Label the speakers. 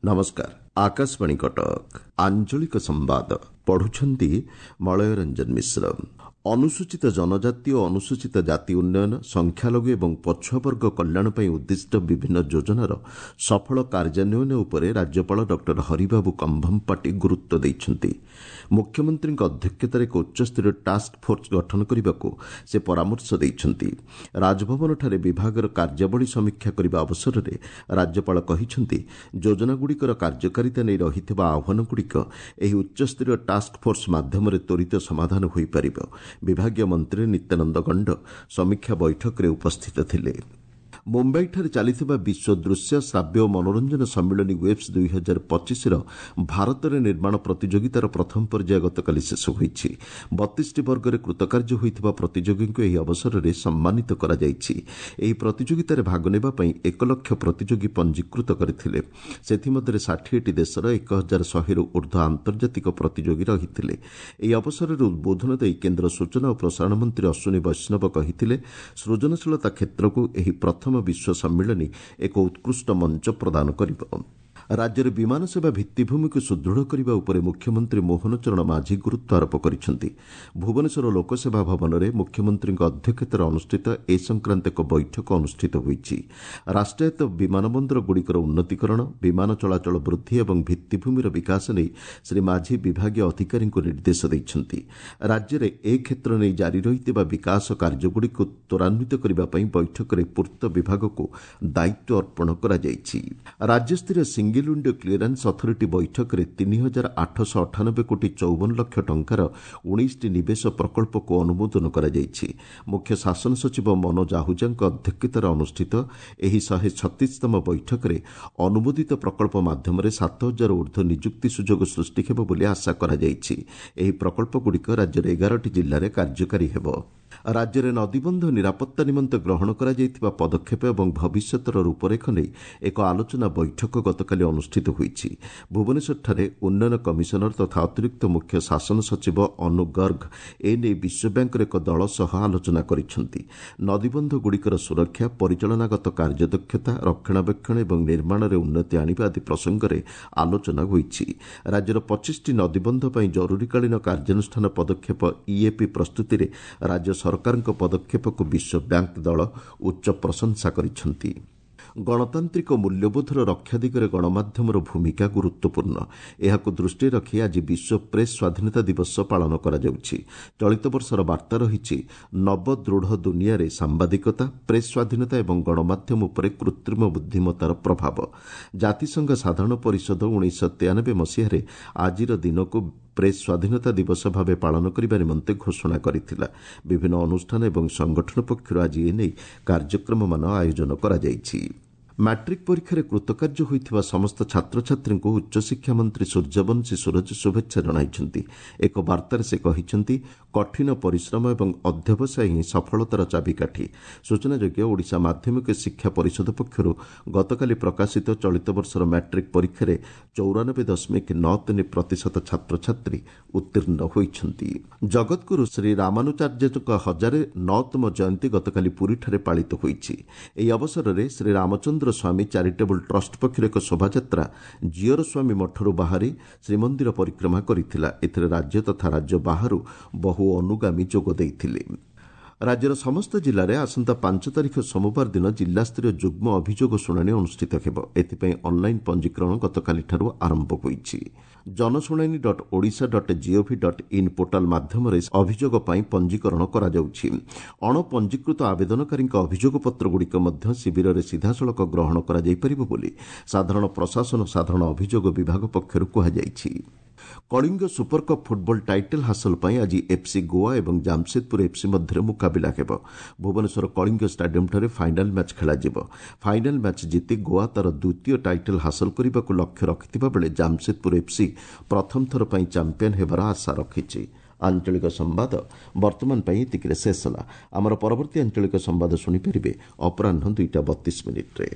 Speaker 1: ନମସ୍କାର, ଆକାଶବାଣୀ କଟକ। ଆଞ୍ଚଳିକ ସମ୍ବାଦ ପଢୁଛନ୍ତି ମଳୟ ରଞ୍ଜନ ମିଶ୍ର। ଅନୁସୂଚିତ ଜନଜାତି ଓ ଅନୁସୂଚିତ ଜାତି ଉନ୍ନୟନ, ସଂଖ୍ୟାଲଘୁ ଏବଂ ପଛୁଆବର୍ଗ କଲ୍ୟାଣ ପାଇଁ ଉଦ୍ଦିଷ୍ଟ ବିଭିନ୍ନ ଯୋଜନାର ସଫଳ କାର୍ଯ୍ୟାନ୍ୱୟନ ଉପରେ ରାଜ୍ୟପାଳ ଡକ୍ଟର ହରିବାବୁ କମ୍ଭମପାଟି ଗୁରୁତ୍ୱ ଦେଇଛନ୍ତି। ମୁଖ୍ୟମନ୍ତ୍ରୀଙ୍କ ଅଧ୍ୟକ୍ଷତାରେ ଏକ ଉଚ୍ଚସ୍ତରୀୟ ଟାସ୍କ ଫୋର୍ସ ଗଠନ କରିବାକୁ ସେ ପରାମର୍ଶ ଦେଇଛନ୍ତି। ରାଜଭବନଠାରେ ବିଭାଗର କାର୍ଯ୍ୟାବଳୀ ସମୀକ୍ଷା କରିବା ଅବସରରେ ରାଜ୍ୟପାଳ କହିଛନ୍ତି, ଯୋଜନାଗୁଡ଼ିକର କାର୍ଯ୍ୟକାରିତା ନେଇ ରହିଥିବା ଆହ୍ୱାନଗୁଡ଼ିକ ଏହି ଉଚ୍ଚସ୍ତରୀୟ ଟାସ୍କ ଫୋର୍ସ ମାଧ୍ୟମରେ ତ୍ୱରିତ ସମାଧାନ ହୋଇପାରିବ। ବିଭାଗୀୟ ମନ୍ତ୍ରୀ ନିତ୍ୟାନନ୍ଦ ଗଣ୍ଡ ସମୀକ୍ଷା ବୈଠକରେ ଉପସ୍ଥିତ ଥିଲେ। ମୁମ୍ବାଇଠାରେ ଚାଲିଥିବା ବିଶ୍ୱ ଦୃଶ୍ୟ, ଶ୍ରାବ୍ୟ ଓ ମନୋରଞ୍ଜନ ସମ୍ମିଳନୀ ୱେବ୍ସ 2025ର ଭାରତରେ ନିର୍ମାଣ ପ୍ରତିଯୋଗିତାର ପ୍ରଥମ ପର୍ଯ୍ୟାୟ ଗତକାଲି ଶେଷ ହୋଇଛି। 32ଟି ବର୍ଗରେ କୃତକାର୍ଯ୍ୟ ହୋଇଥିବା ପ୍ରତିଯୋଗୀଙ୍କୁ ଏହି ଅବସରରେ ସମ୍ମାନିତ କରାଯାଇଛି। ଏହି ପ୍ରତିଯୋଗିତାରେ ଭାଗ ନେବା ପାଇଁ 1 ଲକ୍ଷ ପ୍ରତିଯୋଗୀ ପଞ୍ଜୀକୃତ କରିଥିଲେ। ସେଥିମଧ୍ୟରେ 60ଟି ଦେଶର 1100ରୁ ଉର୍ଦ୍ଧ୍ୱ ଆନ୍ତର୍ଜାତିକ ପ୍ରତିଯୋଗୀ ରହିଥିଲେ। ଏହି ଅବସରରେ ଉଦ୍ବୋଧନ ଦେଇ କେନ୍ଦ୍ର ସୂଚନା ଓ ପ୍ରସାରଣ ମନ୍ତ୍ରୀ ଅଶ୍ୱିନୀ ବୈଷ୍ଣବ କହିଥିଲେ, ସୃଜନଶୀଳତା କ୍ଷେତ୍ରକୁ ଏହି ପ୍ରଥମ ବିଶ୍ୱ ସମ୍ମିଳନୀ ଏକ ଉତ୍କୃଷ୍ଟ ମଞ୍ଚ ପ୍ରଦାନ କରିବ। ରାଜ୍ୟରେ ବିମାନ ସେବା ଭିତ୍ତିଭୂମିକୁ ସୁଦୃଢ଼ କରିବା ଉପରେ ମୁଖ୍ୟମନ୍ତ୍ରୀ ମୋହନ ଚରଣ ମାଝୀ ଗୁରୁତ୍ୱ ଆରୋପ କରିଛନ୍ତି। ଭୁବନେଶ୍ୱର ଲୋକସେବା ଭବନରେ ମୁଖ୍ୟମନ୍ତ୍ରୀଙ୍କ ଅଧ୍ୟକ୍ଷତାରେ ଅନୁଷ୍ଠିତ ଏ ସଂକ୍ରାନ୍ତ ଏକ ବୈଠକ ଅନୁଷ୍ଠିତ ହୋଇଛି। ରାଷ୍ଟ୍ରାୟତ୍ତ ବିମାନ ବନ୍ଦରଗୁଡ଼ିକର ଉନ୍ନତିକରଣ, ବିମାନ ଚଳାଚଳ ବୃଦ୍ଧି ଏବଂ ଭିତ୍ତିଭୂମିର ବିକାଶ ନେଇ ଶ୍ରୀ ମାଝୀ ବିଭାଗୀୟ ଅଧିକାରୀଙ୍କୁ ନିର୍ଦ୍ଦେଶ ଦେଇଛନ୍ତି। ରାଜ୍ୟରେ ଏ କ୍ଷେତ୍ର ନେଇ ଜାରି ରହିଥିବା ବିକାଶ କାର୍ଯ୍ୟଗୁଡ଼ିକୁ ତ୍ୱରାନ୍ୱିତ କରିବା ପାଇଁ ବୈଠକରେ ପୂର୍ତ୍ତ ବିଭାଗକୁ ଦାୟିତ୍ୱ ଅର୍ପଣ କରାଯାଇଛି। ରାଜ୍ୟସ୍ତରୀୟ ସିଙ୍ଗିଲ୍ ୱିଣ୍ଡୋ କ୍ଲିୟରାନ୍ସ ଅଥରିଟି ବୈଠକରେ 3898 କୋଟି 54 ଲକ୍ଷ ଟଙ୍କାର 19ଟି ନିବେଶ ପ୍ରକଳ୍ପକୁ ଅନୁମୋଦନ କରାଯାଇଛି। ମୁଖ୍ୟ ଶାସନ ସଚିବ ମନୋଜ ଆହୁଜାଙ୍କ ଅଧ୍ୟକ୍ଷତାରେ ଅନୁଷ୍ଠିତ ଏହି 136ତମ ବୈଠକରେ ଅନୁମୋଦିତ ପ୍ରକଳ୍ପ ମାଧ୍ୟମରେ 7000 ଉର୍ଦ୍ଧ୍ୱ ନିଯୁକ୍ତି ସୁଯୋଗ ସୃଷ୍ଟି ହେବ ବୋଲି ଆଶା କରାଯାଇଛି। ଏହି ପ୍ରକଳ୍ପଗୁଡ଼ିକ ରାଜ୍ୟର 11ଟି ଜିଲ୍ଲାରେ କାର୍ଯ୍ୟକାରୀ ହେବ। ରାଜ୍ୟରେ ନଦୀବନ୍ଧ ନିରାପତ୍ତା ନିମନ୍ତେ ଗ୍ରହଣ କରାଯାଇଥିବା ପଦକ୍ଷେପ ଏବଂ ଭବିଷ୍ୟତର ରୂପରେଖ ନେଇ ଏକ ଆଲୋଚନା ବୈଠକ ଗତକାଲି ଅନୁଷ୍ଠିତ ହୋଇଛି। ଭୁବନେଶ୍ୱରଠାରେ ଉନ୍ନୟନ କମିଶନର ତଥା ଅତିରିକ୍ତ ମୁଖ୍ୟ ଶାସନ ସଚିବ ଅନୁ ଗର୍ଗ ଏ ନେଇ ବିଶ୍ୱବ୍ୟାଙ୍କର ଏକ ଦଳ ସହ ଆଲୋଚନା କରିଛନ୍ତି। ନଦୀବନ୍ଧଗୁଡ଼ିକର ସୁରକ୍ଷା, ପରିଚାଳନାଗତ କାର୍ଯ୍ୟଦକ୍ଷତା, ରକ୍ଷଣାବେକ୍ଷଣ ଏବଂ ନିର୍ମାଣରେ ଉନ୍ନତି ଆଣିବା ଆଦି ପ୍ରସଙ୍ଗରେ ଆଲୋଚନା ହୋଇଛି। ରାଜ୍ୟର 25ଟି ନଦୀବନ୍ଧ ପାଇଁ ଜରୁରୀକାଳୀନ କାର୍ଯ୍ୟାନୁଷ୍ଠାନ ପଦକ୍ଷେପ ଇଏପି ପ୍ରସ୍ତୁତିରେ ରାଜ୍ୟ ସରକାରଙ୍କ ପଦକ୍ଷେପକୁ ବିଶ୍ୱ ବ୍ୟାଙ୍କ ଦଳ ଉଚ୍ଚ ପ୍ରଶଂସା କରିଛନ୍ତି। ଗଣତାନ୍ତ୍ରିକ ମୂଲ୍ୟବୋଧର ରକ୍ଷା ଦିଗରେ ଗଣମାଧ୍ୟମର ଭୂମିକା ଗୁରୁତ୍ୱପୂର୍ଣ୍ଣ। ଏହାକୁ ଦୃଷ୍ଟିରେ ରଖି ଆଜି ବିଶ୍ୱ ପ୍ରେସ୍ ସ୍ୱାଧୀନତା ଦିବସ ପାଳନ କରାଯାଉଛି। ଚଳିତ ବର୍ଷର ବାର୍ତ୍ତା ରହିଛି, ନବଦୃଢ଼ ଦୁନିଆରେ ସାମ୍ବାଦିକତା, ପ୍ରେସ୍ ସ୍ୱାଧୀନତା ଏବଂ ଗଣମାଧ୍ୟମ ଉପରେ କୃତ୍ରିମ ବୁଦ୍ଧିମତ୍ତାର ପ୍ରଭାବ। ଜାତିସଂଘ ସାଧାରଣ ପରିଷଦ 1993 ମସିହାରେ ଆଜିର ଦିନକୁ ପ୍ରେସ୍ ସ୍ୱାଧୀନତା ଦିବସ ଭାବେ ପାଳନ କରିବା ନିମନ୍ତେ ଘୋଷଣା କରିଥିଲା। ବିଭିନ୍ନ ଅନୁଷ୍ଠାନ ଏବଂ ସଂଗଠନ ପକ୍ଷରୁ ଆଜି ଏ ନେଇ କାର୍ଯ୍ୟକ୍ରମମାନ ଆୟୋଜନ କରାଯାଇଛି। ମାଟ୍ରିକ୍ ପରୀକ୍ଷାରେ କୃତକାର୍ଯ୍ୟ ହୋଇଥିବା ସମସ୍ତ ଛାତ୍ରଛାତ୍ରୀଙ୍କୁ ଉଚ୍ଚଶିକ୍ଷା ମନ୍ତ୍ରୀ ସୂର୍ଯ୍ୟବଂଶୀ ସୂରଜ ଶୁଭେଚ୍ଛା ଜଣାଇଛନ୍ତି। ଏକ ବାର୍ତ୍ତାରେ ସେ କହିଛନ୍ତି, କଠିନ ପରିଶ୍ରମ ଏବଂ ଅଧ୍ୟବସାୟ ହିଁ ସଫଳତାର ଚାବିକାଠି। ସୂଚନାଯୋଗ୍ୟ, ଓଡ଼ିଶା ମାଧ୍ୟମିକ ଶିକ୍ଷା ପରିଷଦ ପକ୍ଷରୁ ଗତକାଲି ପ୍ରକାଶିତ ଚଳିତ ବର୍ଷର ମାଟ୍ରିକ୍ ପରୀକ୍ଷାରେ 94.93% ଛାତ୍ରଛାତ୍ରୀ ଉତ୍ତୀର୍ଣ୍ଣ ହୋଇଛନ୍ତି। ଜଗତଗୁରୁ ଶ୍ରୀ ରାମାନୁଚାର୍ଯ୍ୟଙ୍କ 1009ତମ ଜୟନ୍ତୀ ଗତକାଲି ପୁରୀଠାରେ ପାଳିତ ହୋଇଛି। ଏହି ଅବସରରେ ଶ୍ରୀ ରାମଚନ୍ଦ୍ର ସ୍ୱାମୀ ଚାରିଟେବୁଲ ଟ୍ରଷ୍ଟ ପକ୍ଷରୁ ଏକ ଶୋଭାଯାତ୍ରା ଜିୟର ସ୍ୱାମୀ ମଠରୁ ବାହାରି ଶ୍ରୀମନ୍ଦିର ପରିକ୍ରମା କରିଥିଲା। ଏଥିରେ ରାଜ୍ୟ ତଥା ରାଜ୍ୟ ବାହାରୁ ବହୁ ଅନୁଗାମୀ ଯୋଗ ଦେଇଥିଲେ। ରାଜ୍ୟର ସମସ୍ତ ଜିଲ୍ଲାରେ ଆସନ୍ତା 5 ତାରିଖ ସୋମବାର ଦିନ ଜିଲ୍ଲାସ୍ତରୀୟ ଯୁଗ୍ମ ଅଭିଯୋଗ ଶୁଣାଣି ଅନୁଷ୍ଠିତ ହେବ। ଏଥିପାଇଁ ଅନ୍ଲାଇନ୍ ପଞ୍ଜୀକରଣ ଗତକାଲିଠାରୁ ଆରମ୍ଭ ହୋଇଛି। ଜନଶୁଣାଣି dot Odisha dot gov dot in portal ମାଧ୍ୟମରେ ଅଭିଯୋଗ ପାଇଁ ପଞ୍ଜୀକରଣ କରାଯାଉଛି। ଅଣପଞ୍ଜୀକୃତ ଆବେଦନକାରୀଙ୍କ ଅଭିଯୋଗପତ୍ରଗୁଡ଼ିକ ମଧ୍ୟ ଶିବିରରେ ସିଧାସଳଖ ଗ୍ରହଣ କରାଯାଇପାରିବ ବୋଲି ସାଧାରଣ ପ୍ରଶାସନ ସାଧାରଣ ଅଭିଯୋଗ ବିଭାଗ ପକ୍ଷରୁ କୁହାଯାଇଛି। କଳିଙ୍ଗ ସୁପରକପ୍ ଫୁଟବଲ ଟାଇଟଲ୍ ହାସଲ ପାଇଁ ଆଜି ଏଫ୍ସି ଗୋଆ ଏବଂ ଜାମସେଦପୁର ଏଫ୍ସି ମଧ୍ୟରେ ମୁକାବିଲା ହେବ। ଭୁବନେଶ୍ୱର କଳିଙ୍ଗ ଷ୍ଟାଡିୟମ୍ଠାରେ ଫାଇନାଲ୍ ମ୍ୟାଚ୍ ଖେଳାଯିବ। ଫାଇନାଲ୍ ମ୍ୟାଚ୍ ଜିତି ଗୋଆ ତା'ର ଦ୍ୱିତୀୟ ଟାଇଟଲ୍ ହାସଲ କରିବାକୁ ଲକ୍ଷ୍ୟ ରଖିଥିବା ବେଳେ ଜାମସେଦପୁର ଏଫ୍ସି ପ୍ରଥମ ଥର ପାଇଁ ଚାମ୍ପିୟନ୍ ହେବାର ଆଶା ରଖିଛି। ଆଞ୍ଚଳିକ ସମ୍ବାଦ ବର୍ତ୍ତମାନ ପାଇଁ ଏତିକିରେ ଶେଷ ହେଲା। ଆମର ପରବର୍ତ୍ତୀ ଆଞ୍ଚଳିକ ସମ୍ବାଦ ଶୁଣିପାରିବେ ଅପରାହ୍ନ 2ଟା 32 ମିନିଟ୍ରେ।